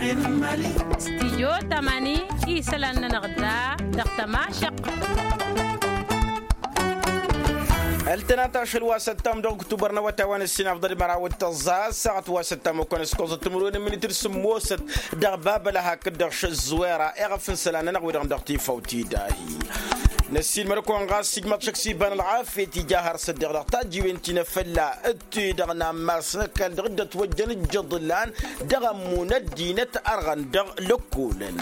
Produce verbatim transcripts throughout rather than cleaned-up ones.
Stijyo tamani isălan-nănăɣ da dăɣ-tămašăq. Ăltănat ašăl wa s-ăttam dăɣ-ǝktubăr n-awătay wa n-ǝssin afḍăl măraw d-tăẓẓa ăssaɣăt wa s-ăttam okănăskăẓăt timǝrwen n-minitǝr sǝmmosăt dăɣ-babălăha hakd-dăɣ šăzzuwera iɣăf n-isălan-nănăɣ wi-dăɣ dăɣ-tifawt idahi. Năssiilmăd-kăwăn ɣas ijmaḍ šăkk s-iba n-ălɣafyăt ija har s-ăddeɣ dăɣ-tajjiwen ti n-efălla d-ti-dăɣ n-ammas n-ăkall dăɣ-dd-ătwăjjăn ǝjjăḍlan dăɣ-ămmun ăddinăt ărɣăn dăɣ-lăkkolăn.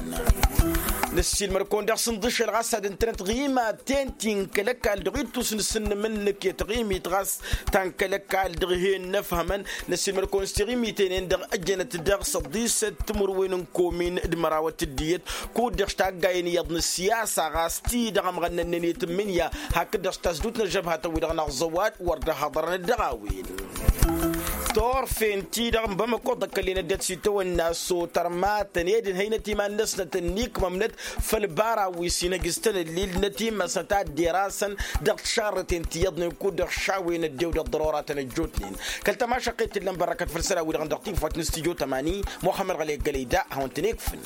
Năssiilmăd-kăwăn daɣ s-ǝnḍǝšăl ɣas ad-ǝntănăt ɣimaten ti n-kăl-ăkall dăɣ-ittus n-asǝnnǝm n-inǝkket ɣimit ɣas ta n-kăl-ăkall dăɣ-hen n-ăfhămăn. Năssiilmăd-kăwăn s-tiɣimiten-en-dăɣ ăjănăt dăɣ-săḍisăt timǝrwen n-komin d-mărawăt d-iyyăt kud-dăɣ s-taggayen iyyăḍ n-ǝssiyasa ɣas ti-dăɣ ămɣănnănnen i-tǝmmǝnǝya hakd-dăɣ s-tasdut n-ăžžăbhatăn-wi-dăɣ n-aẓăwad wăr dd-hăḍărăn dăɣ-a-wen. Turfen-ti-dăɣ n-bamăko ḍăkkăllen ăddinăt s-itawănna s-otărmatăn ed ǝnhăynăt iman-năsnăt ănnikmămnăt făll-bara wi s-inăjjǝstăn ǝllil-năt imăsnăt ad-dd-erasăn dăɣ-tišarrăten ti iyyăḍnen kud-dăɣ šawen ăddew dăɣ-ḍăroratăn ăjjootnen. Kăl-tămašăqqet t-ǝllăn bărrăkăt făll-isălan-wi-dăɣ dăɣ-tiwfat n-studyo tămani muxămmăd ɣălek gălăyda ad-hawăn-tăn-ikfǝn.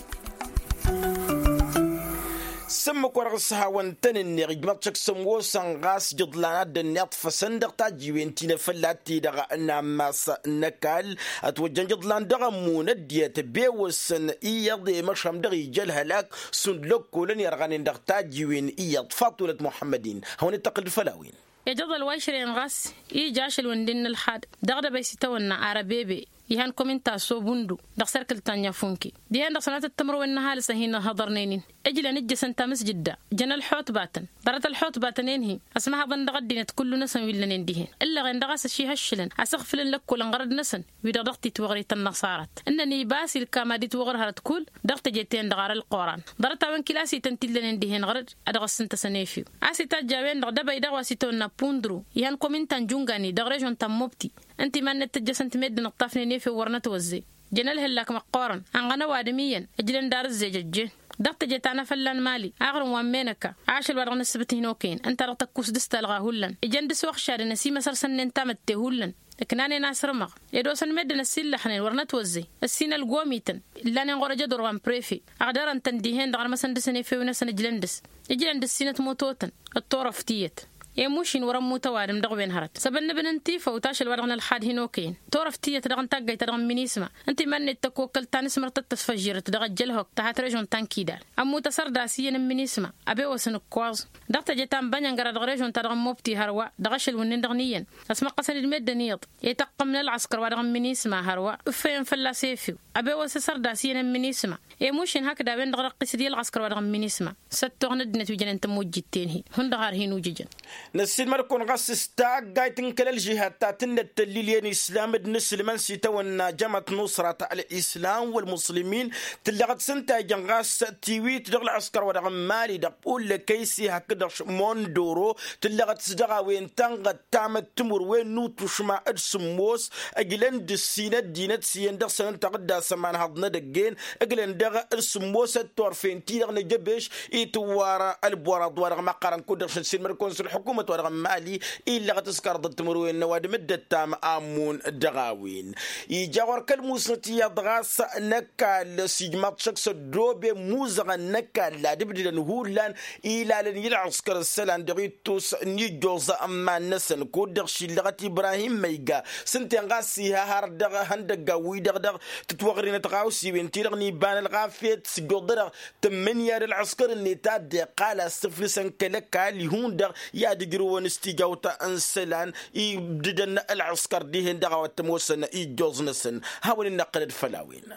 S-ǝmmǝk-wa-dăɣ s-hawăn-tăn-ǝnneɣ ijmăḍ šăkk s-ămoosăn ɣas ijǝḍlan ad-dd-ănniḍfăsăn dăɣ-tajjiwen ti n-efălla ti-dăɣ n-ammas n-ăkall ătwăjjăn ijǝḍlan dăɣ-ămmun ăddinăt ăbewăsăn iyyăḍ i-măšhăm dăɣ-ija ălhălak šund lăkkolăn irɣanen dăɣ-tajjiwen iyyăḍ faṭulăt muḥămmăd-in. Hawăn-dd-tăqqǝl d-făll-a-wen. Ijăḍăl wa išrăyăn ɣas ija ašăl wǝndin n-ălxad dăɣ-dăbăy s-itawănna arăbebe ihan komin ta sobundu dăɣ-serkǝl ta n-yafunke dihen-dăɣ sănatăt timǝrwen n-ăhalǝs a hin-ăhhăḍărnen-in. Ǝjlăn ǝjjăsăn tamǝsjǝdda jăn ălḥutbatăn ḍarăt ălḥutbatăn-en-hi ăsmăhăḍăn dăɣ-ăddinăt kullu-năsăn wi ǝllănen dihen ǝllăɣen dăɣ-a-s ăšihăššǝlăn asǝɣfǝlăn lăkkolăn ɣărăd-năsăn wi-dăɣ dăɣ-titwăɣrit ănnăṣarăt ǝnnăn iba a-s ilkam ad-itwăɣăr hărăt kull dăɣ-teje-ten-dăɣ ar ălquran. Ḍarăt-a-wen kilasităn ti ǝllănen dihen ɣărăd ad-dăɣ-ăssǝntăsăn efew a-s itajj a-wen-dăɣ dăbăy daɣ wa s-itawănna pundru ihan komin ta n-jungani dăɣ-režon ta n-mobti ǝnta iman-net tǝjjăsăn-t meddǝn ǝṭṭafnen efew wăr nătwăzzey. Jăn ălhǝllak măqqoorăn ănɣăn ăwadǝm iyyăn ǝjlăn d-arǝzzej ăjjeen dăɣ-teje ta n-afălla n-mali aɣrǝm wa n-menăkka ašăl wa dăɣ-nǝssǝbǝt hin-okăyăn ǝnta dăɣ-tăkkus dăɣ-s talɣa hullan ijăn dăɣ-s iwăxšadăn ăsimăsărsănnen tamătte hullan. Ǝknanen asrǝmăɣ ed osăn meddǝn ăsillăxnen wăr nătwăzzey ăssin ălgomităn ǝllanen ɣur-ejădor wa n-prefe ăɣdărăn-tăn dihen-dăɣ ărmăsăn dăɣ-săn efew-năsăn ǝjlăn dăɣ-s ǝjlăn dăɣ-sinăt mototăn d-turăft tiyyăt. I-mušin wăr-ămmut ăwadǝm dăɣ-wen hărăt s-ăbănnăbăn n-tifăw tašăl wa dăɣ-nălxad hin-okăyăn turăft tiyyăt dăɣ-n taggayt ta dăɣ-n minisma ǝnta iman-net tăkkokkăl ta n-asmăr tăt-tăsfăžžirăt dăɣ-ăjjălhok ta hat-režon ta n-kidal. Ămmut asărdas iyyăn n-minisma ăbewăsăn ǝkkoẓ dăɣ-teje ta n-bănyăngăra dăɣ-režon ta dăɣ-n mobti hărwa dăɣ-ašăl wǝnnin-dăɣ n-iyyăn ăsmăqqăsăn-dd meddǝn iyyăḍ i-taqqăm n-ălɣăskăr wa dăɣ-n minisma hărwa ǝffăyăn fălla-s efew. Ăbewăs asărdas iyyăn n-minisma i-mušin hakd a-wen-dăɣ răqqis-dd i-ălɣăskăr wa dăɣ-n minisma. S-ăttoɣ n-ăddinăt wi jănen tămujjit-ten-hi hundăɣ har hin-ujǝjăn. Năssiilmăd-kăwăn ɣas s-taggayt n-kăl-ălžihad ta tǝnnăt tăllil i-ănislam d-inǝslǝmăn s-itawănna jămăt nusrat ălǝslam wălmǝslǝmin tǝllăɣăt s-ǝnta a ijăn ɣas tiwit dăɣ-ălɣăskăr wa dăɣ-n mali dăɣ-pullă kăysi hakd-dăɣ mondoro tǝllăɣăt s-dăɣ-a-wen tănɣăt tamăttimǝrwen n-utušma d-sǝmmos ǝjlăn d-ǝssin ăddinăt s-iyyăn dăɣ-săn ǝnta ɣǝdda s-ămanhăḍ n-edăgg-en ǝglăn dăɣ-sǝmmosăt turfen-ti-dăɣ n-ajăbeš itǝwwar ălborăḍ wa dăɣ-măqqărăn kud-dăɣ šănsilmăd-kăwăn s-ălḥukumăt wa dăɣ-n mali illăɣăt s-kărḍăt timǝrwen n-ăwadǝm dd-ăttam amun dăɣ-a-wen. Ija ɣur-kăl-musnăt iyyăḍ ɣas n-ăkall s-ijmaḍ šăkk s-ăddooben muzăɣăn n-ăkall ad-ǝbdǝdăn hullan ilalăn i-ălɣăskăr isălan dăɣ-ittus n-ijjoẓ n-iman-năsăn kud-dăɣ šillăɣăt ibrahim măyga s-ǝnta-en ɣas iha har dăɣ-ihăndăggan-wi-dăɣ dăɣ-tǝtwăɣrinăt ɣawsiwen-ti-dăɣ n-iba n-ălɣafyăt s-ǝjjoḍ-dăɣ tǝmmǝnǝya d-ălɣăskăr-net a dd-iqqal a-s tǝflǝsăn kăl-ăkall ihun-dăɣ i-ad-ǝjrǝwăn s-tijawt n-isălan ibdǝdăn ălɣăskăr dihen-dăɣ a-wa t-ămoosăn ijjoẓ-năsăn. Hawăn-in-năqqǝlăd făll-a-wen.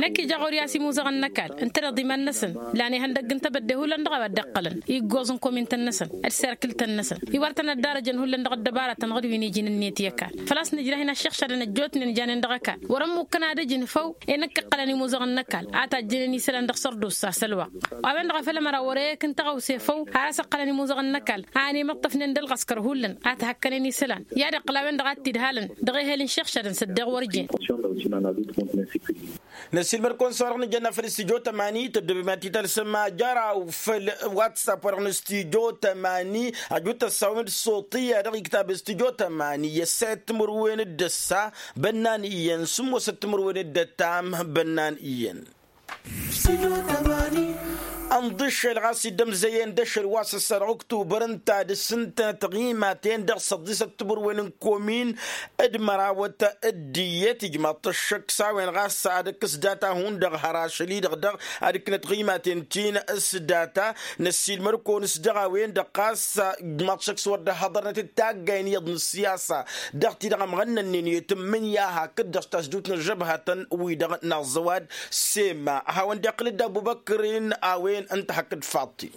Năkk ija ɣur-i a-s imuzăɣăn n-ăkall ǝntăneḍ iman-năsăn lan ihăndăgg n-tebădde hullan dăɣ-a-wa dd-iqqălăn iggoẓ n-komintăn-năsăn d-serkǝltăn-năsăn. Iwar tăn-ăddarăjăn hullan dăɣ-ăddăbarătăn ɣǝd wi n-iji n-ǝnniyăt i-ăkall făl-a-s nǝjrah-in ăššăɣšadăn ăjjootnen janen dăɣ-ăkall wăr-ămmukkăn ad-ǝjǝn făw. I-năkk ǝqqălăn imuzăɣăn n-ăkall a tajjănen isălan dăɣ-sărdusa s-ălwăqq. A-wen-dăɣ a făl ămăra wăr-e-ekǝn tăɣawse făw har a-s ǝqqălăn imuzăɣăn n-ăkall a ănimăṭṭăfnen d-ălɣăskăr hullan a t-hăkkănen isălan i-ad-iqqǝl a-wen-dăɣ a t-idhalăn dăɣ-ehel n-išăɣšadăn s-ăddeɣ wăr jen. Năssiilmăd-kăwăn s-a-wa-dăɣ nǝjănna făll-studyo tămani tăddobem ad-t-tălsăm ajăraw făll-whatsapp wa-dăɣ n-studyo tămani. Ajut tăssawăm d-suṭiya dăɣ-iktab studyo tămani i-ăssayăt timǝrwen d-ăssa bănnan iyyăn sǝmmosăt timǝrwen d-ăttam bănnan iyyăn. Ănḍǝššel ɣas iddămzăyăn d-ašăl wa s-ăssa dăɣ-uktubăr ǝnta ad-ǝssǝntănăt ɣimaten dăɣ-săḍisăt timǝrwen n-komin d-mărawăt d-iyyăt ijmaḍ-t ăššăk s-a-wen ɣas ad-ǝkkǝs data hundăɣ har ašăl-i-dăɣ dăɣ-ad-ǝkkǝnăt ɣimaten ti n-s data. Năssiilmăd-kăwăn s-dăɣ-a-wen-dăɣ ɣas ijmaḍ-t ăššăk s-wăr dd-hăḍărnăt d-taggayen iyyăḍ n-ăssiyasa dăɣ-ti-dăɣ ămɣănnănnen i-tǝmmǝnǝya hakd-dăɣ s-tasdut n-ăžžăbhatăn-wi-dăɣ n-aẓẓăwad. Sema a hawăn-dd-iqqǝl d-abubăkr-in a-wen ǝnta hakd faḍti.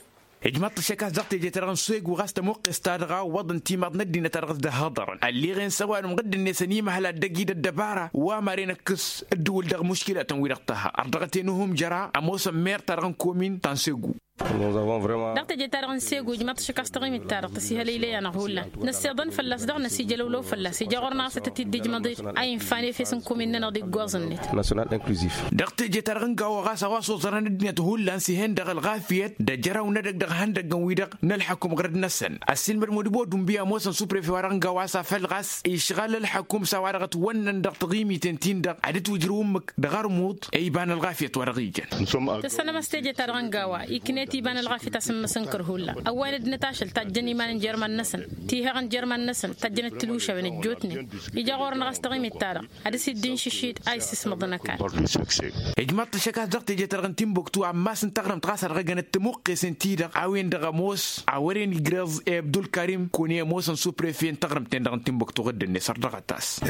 Ijmaḍ-t ăššăk a-s dăɣ-teje-ta-dăɣ n-segu ɣas tămuqqes-ta-dăɣ a ǝwwăḍăn timaḍ n-ăddinăt a dăɣ-s dd-ăhhăḍărăn ălliɣen s-ăwadǝm ɣǝdd-net ănimăhăl ad-dăgg-i d-ăddăbara wa maren ăkkǝs ǝddǝwǝl dăɣ-muškilatăn-wi-dăɣ tăha ărdăɣăt-en uhǝm jăra ămoosăn mer-ta-dăɣ n-komin ta n-segu. Dăɣ-teje-ta-dăɣ n-segu ijmaḍ-t ăššăk a-s taɣimit-ta-dăɣ tăsihălăylăy-anăɣ hullan năssiḍăn fălla-s daɣ năsijălăwlăw fălla-s ija ɣur-năɣ a-s tăt-dd-ijmăḍ-dd a infa n-efes n-komin-nănăɣ d-iggoẓ-net. Dăɣ-teje-ta-dăɣ n-gawa ɣas a-wa s-oẓărăn ăddinăt hullan s-ih'-en dăɣ-ălɣafyăt d-ajăraw n-edăgg dăɣ-ihăndăggăn-wi-dăɣ n-ălḥăkum ɣărăt-năsăn. Ăssiilmăd modibodum bi ămoosăn suprefe wa dăɣ-n gawa a-s afăl ɣas išɣal ălḥăkum s-a-wa-dăɣ ătwănnăn dăɣ-taɣimiten-tin-dăɣ ad-ǝtwǝjrǝw ǝmmǝk dăɣ-armuḍ i-iba n-ălɣafyăt wa dăɣ-ijăn. Tăssanăm a-s teje-ta-dăɣ n-gawa iknet iba n-ălɣafyăt a-s n-imǝsǝnkăr hullan ăwwayăn ăddinăt ašăl tajjăn iman n-jer-iman-năsăn tihăɣ n-jer-iman-năsăn tajjăn d-tǝlušawen ăjjootnen. Ija ɣur-năɣ a-s taɣimit-ta-dăɣ ad-dăr-s dd-inšǝššid a issǝsmăḍăn ăkall. Ijmaḍ-t ăššăk a-s dăɣ-teje-ta-dăɣ n-timbuktu amma s-ǝnta aɣrǝmt ɣas a dăɣ-ăjănăt tămuqqesen ti-dăɣ a-wen-dăɣ ămoos a wăren igreẓ i-abdulkarim kăwăn-i ămoosăn suprefe n-taɣrǝmt-en-dăɣ n-timbuktu ɣǝdd-net ărdăɣăt-as.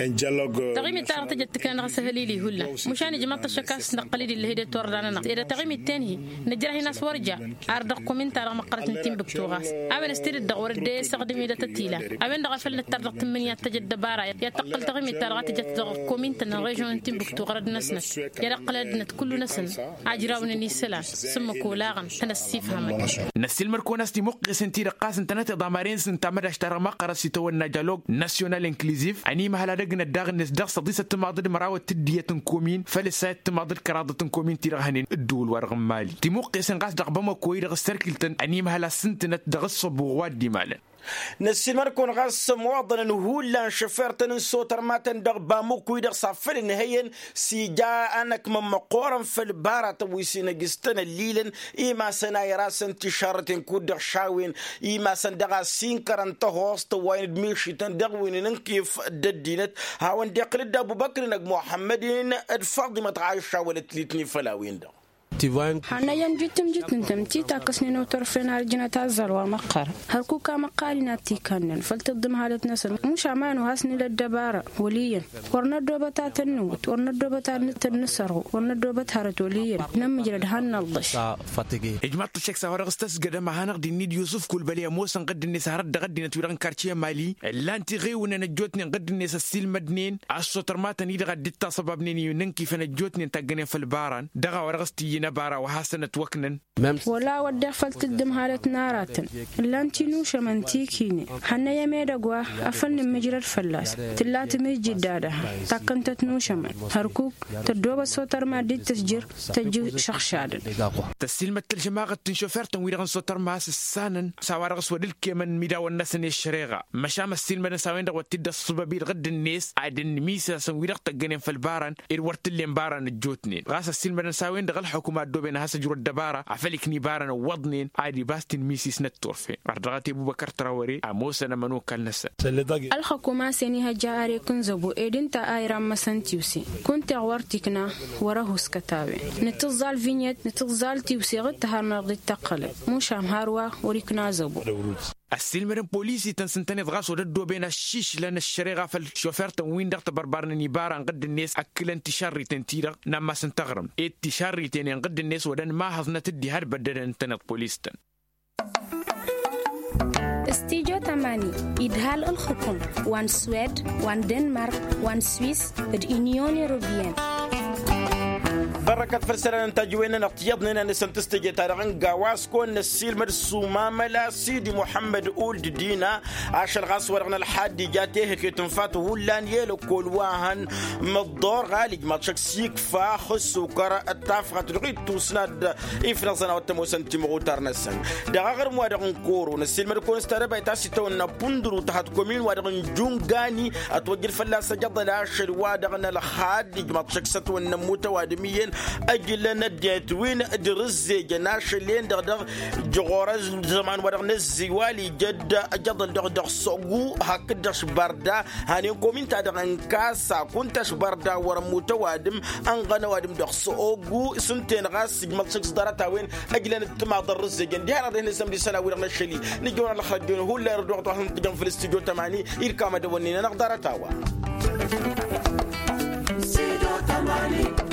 Taɣimit-ta-dăɣ tăjăt tǝkna dăɣ-asăhălil-i hullan mušan ijmaḍ-t ăššăk a-s năqqăl-dd illăh ed i-turda-nănăɣ ed taɣimit-ten-hi nǝjrăh-in a-s wăr ja. Ar dăɣ-komin-ta-dăɣ măqqărăt n-timbuktu ɣas a-wen ăstedăt dăɣ-wăr dd-e-săɣdǝm-i dăɣ-tătila a-wen-dăɣ a făl nǝttar dăɣ-tǝmmǝnǝya ad-tăj ăddăbara i-ad-tăqqǝl taɣimit-ta-dăɣ a tǝjăt dăɣ-komin-tăn n-režion n-timbuktu ɣărăd-năsnăt i-ad-ăqqǝlăn ăddinăt kullu-năsăn ajrawnen isălan s-ǝmmǝk olaɣăn tăn-ăssifhămăn. Năssiilmăd-kăwăn a-s timuqqesen-ti-dăɣ ɣas ǝntănăt iḍamaren s-ǝnta mădaš-ta-dăɣ măqqărăt s-itawănna jalog nasyonal inkliziv ănimăhăl ad-ăgnăt daɣ-net dăɣ-săḍisăt timaḍ d-măraw d-tǝddiyăt n-komin făll-ăssayăt timaḍ d-kăraḍăt n-komin-ti-dăɣ hănen ǝddǝwǝl-wa-dăɣ n-mali timuqqesen ɣas dăɣ-bamăko-i-dăɣ s-tărkiltăn ănimăhăl a-s ǝntǝnăt dăɣ-ǝssăbuɣ wa dd-imalăn. Năssiilmăd-kăwăn ɣas ămwaḍănăn hullan šăfirtăn n-sotărmatăn dăɣ-bamăko-i-dăɣ s-afăl ǝnhăyăn s-ija anăkmăn măqqoorăn făll-baratăn wi s-inăjjǝstăn ăllilăn imasăn a irasăn tišarrăten kud-dăɣ šawen imasăn dăɣ-a sinkărăn tăhoẓt ăwwayăn d-mišităn dăɣ-win n-inkif d-ăddinăt. Hawăn-dd-iqqǝl-dd abubăkr-in ăgg muḥămmăd-in d-faḍimăt ɣaša wălăt litni făll-a-wen-dăɣ. Hannăyăn jitǝm jitǝntăm ti takkăsnen otărfen har ǝjnăt azzal wa măqqărăn hărkuk amăqqal-in ad-t-ikannen făll-tǝḍḍǝm halăt-năsăn mušam a nuhas nǝla ăddăbara wăl' iyyăn wăr năddobăt ad-tăn-nǝwwǝt wăr năddobăt ad-nǝttăn nǝsărɣu wăr năddobăt hărăt wăl' iyyăn nămmǝjrăd hannălḍăš. Ijmaḍ-t ăššăk s-a-wa-dăɣ s-tăsgădăm a hanăɣ-dd-innid yusǝf kulbăli ămoosăn ɣǝdd-net hărăt dăɣ-ăddinăt wi-dăɣ n-kartiye mali ǝllan-t iɣewnăn ăjjootnen ɣǝdd-net ăssiilmădnen a-s s-otărmatăn-i-dăɣ ad-dd-taṣăbabnen i-inǝnkifăn ăjjootnen taggănen făll-baran dăɣ-a-wa dăɣ-s t-iyyǝn ăbara wa hasăn-ătwăknăn. Wăla wădden făll-tǝddǝm halăt n-aratăn ǝllan-t inušămăn ti ikinen hannăyăm edăgg wa afăl nǝmmǝjrăd fălla-s tǝlla tǝmǝjjǝd d-ad-ăha takkăn-tăt nušămăn hărkuk tăddoobăt s-otărma dd-tǝsjǝr tăjj išăɣšadăn. Tăssiilmăd tălžămaɣăt n-šofer-tăn-wi-dăɣ n-sotărma a-s ǝssanăn s-a-wa dăɣ-s wăr dd-ǝlkemăn imidawăn-năsăn i-ăššăreɣa măšan ăssiilmădăn s-a-wen-dăɣ wăr t-dd-ăṣṣăbăb-i d-ɣǝdd-net ad-ănn imisasăn wi-dăɣ tăggănen făll-baran ed wăr t-ǝllen baran ăjjootnen ɣas ăssiilmădăn s-a-wen-dăɣ ălxukǝm a ăddooben ad-has-ăjru ăddăbara afăl ikni baran ăwwăḍnen ad-ibas tinmisis n-ătturfen. Ărdăɣăt i-bubăkăr trawăre ămoosăn ămănokal-năsăn. Ălxukǝm a-s ănihăjja arek n-zăbo ed ǝnta a irammăsăn tiwse kunta-eɣ wăr t-ikna wăr-ăhuskăt a-wen nǝtǝẓẓal vinyăt nǝtǝẓẓal tiwse ɣǝd-tăharnăɣ dd-tăqqălăt mušam hărwa wăr-ikna zăbo. Ăssiilmădăn polisităn s-ǝntăneḍ ɣas wăr dd-ăddooben ăššišlăn ăššăreɣa făll-šofer-tăn-win-dăɣ tăbărbărnen ibaran ɣǝdd-net ăkkǝlăn tišărriten-ti-dăɣ n-ammas n-taɣrǝmt ed tišărriten-en ɣǝdd-net wăr dăn-mahăẓnăt dd-ihădbăddădăn ǝntăneḍ polis-tăn. Studyo tămani idhal ǝlxǝkum wa n-swed wa n-denmark wa n-swis d-unyon europeyăn. Ărrăkăt făll-isălan n-tajǝwen-nănăɣ tiyyăḍnen a nǝsăn tǝstǝje-ta-dăɣ n-gawa a-s kăwăn-năssiilmăd s-umamăla sidi muḥămmăd uld dina. Ašăl ɣas wa-dăɣ n-ălxadd ija tehăke tǝnfa-t hullan i-elăkkol wa hăn măḍḍor ɣalij maḍšăk s-ikfa ăssukăr d-tafɣat dăɣ-ittusna-dd ifnăẓăn a-wa t-ămoosăn timɣutar-năsăn. Dăɣ-aɣrǝm-wa-dăɣ n-koro năssiilmăd-kăwăn s-tadăbayt a-s itawănna pundăru tahăt komin-wa-dăɣ n-jungani ătwăjjăl fălla-s ajăḍăl ašăl-wa-dăɣ n-ălxadd ijmaḍ šăkk s-ătwănnă ămmut ăwadǝm iyyăn ăjlăn ăddinăt wi n-dăr-ǝzzejăn ašăl-en-dăɣ dăɣ-jăɣorăz. Zăman-wa-dăɣ n-ăzziwal ija dd-ajăḍăl dăɣ-dăɣ s-ogu hakd-dăɣ s-bărda hanen komin-ta-dăɣ n-kasa kunta s-bărda wăr-ămmut ăwadǝm ănɣăn ăwadǝm dăɣ-s ogu s-ǝnta-en ɣas ijmăḍ šăkk s-ḍarăt-a-wen ăjlăn d-timaḍ ărrǝzzejăn diha-dăɣ dehnen s-ămdisăn a-wi-dăɣ n-ašăl-i. Nǝjjăwăn ălxăjjăwăn hullan irăd wa ɣ-tăwănhăn tǝjăn făll-stujo tămani irkam ad-ăwănnen anăɣ ḍarăt-a-wa. Stujo tămani.